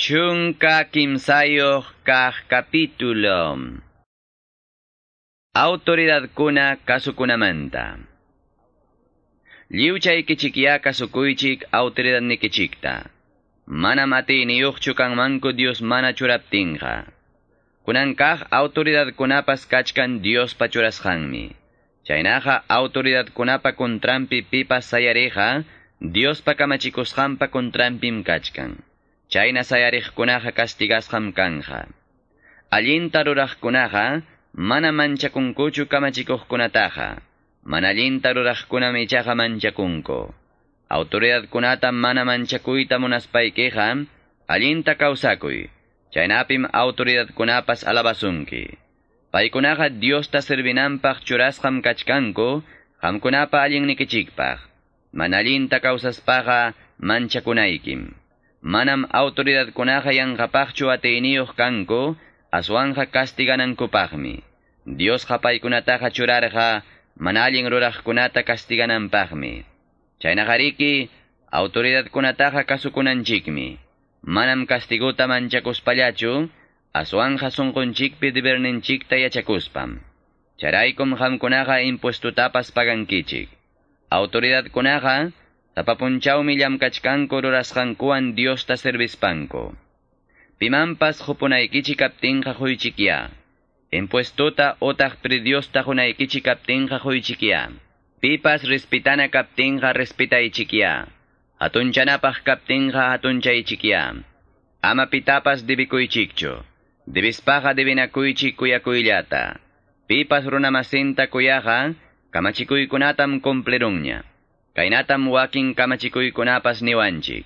13 kaq capítulo. Autoridadkuna kasukunamanta. Lliwchaykichikya kasukuychik autoridadnikichikta. Manam atiyniyuqchu kanmanku Dios mana churaptinqa. Kunan kaq autoridadkunapas kachkan Diospa churasqanmi. Chaynaqa autoridadkunapa contranpi pipas sayariqa Diospa kamachikusqanpa contranpim kachkan. Chayna sayariqkunaqa castigasqam kanja. Allinta ruraqkunaqa mana manchakunkuchu kamachikuqkunataqa. Mana allinta ruraqkunam ichaqa manchakunku. Autoridadkunata mana manchakuyta munaspaykiqa allinta kawsakuy. Chaynapim autoridadkunapas alabasunki. Paykunaqa Diosta servinanpaq churasqam kachkanku, qamkunapa allinnikichikpaq. Mana allinta kawsaspaqa manchakunaykim. Manam autoridadkunaqa yanqapaqchu atiyniyuq kanku, aswanja castiganankupaqmi. Diosqa paykunataqa churarqa mana allin ruraqkunata castigananpaqmi. Chaynaqariki autoridadkunataqa kasukunanchikmi. Manam castiguta manchakuspallachu, aswanja sunqunchikpi deberninchikta yachakuspam. Charaykum qamkunaqa impuestutapas pagankichik. Autoridadkunaqa tapapunchawmi llamkachkanku rurasqankuwan Diosta servispanku. Pimanpas hupunaykichik kaptinqa huychikya. Impuestuta otaq pridiosta hunaykichik kaptinqa huychikya. Pipas respitana kaptinqa respitaychikya. Hatunchanapaq kaptinqa hatunchaychikya. Ama pitapas dibikuychikchu. Dibispaqa dibinakuychik kuyakuyllata. Pipas runamasinta kuyaqa kamachikuykunatam cumplirunña. Kaynatam wakin kamachikuykunapas niwanchik.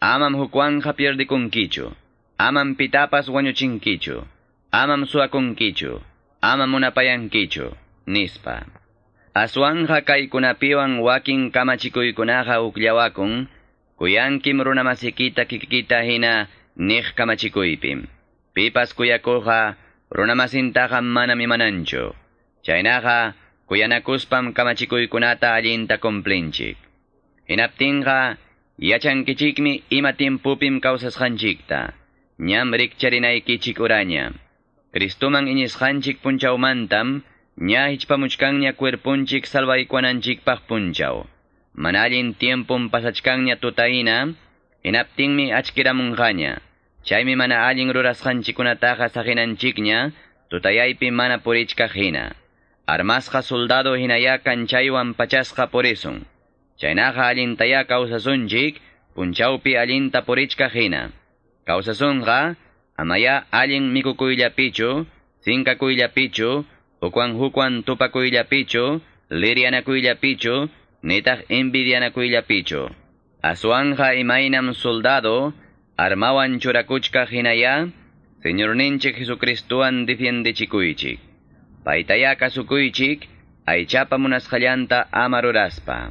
Amam hukwanja pierdikunkichu. Amam pitapas wañuchinkichu. Amam suwakunkichu. Amam munapayankichu. Nispa. Aswanja kaykunapiwan wakin kamachikuykunaqa ukllawakun, kuyankim runamasikita kikikita hina niq kamachikuypim. Pipas kuyakuqa runamasintaqa manam imananchu. Chaynaqa kuyanakuspam kamachikuykunata allinta cumplinchik. Hinaptinqa yachankichikmi ima tiempupim kawsasqanchikta. Ñam rikcharinaykichik uraña. Cristoman iñisqanchik punchawmantam ña hichpamuchkanña cuerpunchik salvaykuananchikpaq punchaw. Mana allin tiempum pasachkanña tutahina, hinaptinmi achkiramunqaña. Chaymi mana allin rurasqanchikkunataqa saqinanchikña, tutayaypi mana purichkaq hina. Armasqa soldado hinaya kanchaywan pachasqa purisun. Chaynaqa allintaya kawsasunchik, punchawpi allinta purichkaq hina. Kawsasunqa, amaya allin mikukuyllapichu, sinkakuyllapichu, hukwan hukwan tupakuyllapichu, lirianakuyllapichu, nitaq envidianakuyllapichu. Aswanja imaynam soldado, armawan churakuchkaq hinaya, Señorninchik Jesucristuwan defiendichikuychik. Paytaya kasukuychik, aychapa munasqallanta ama ruraspa.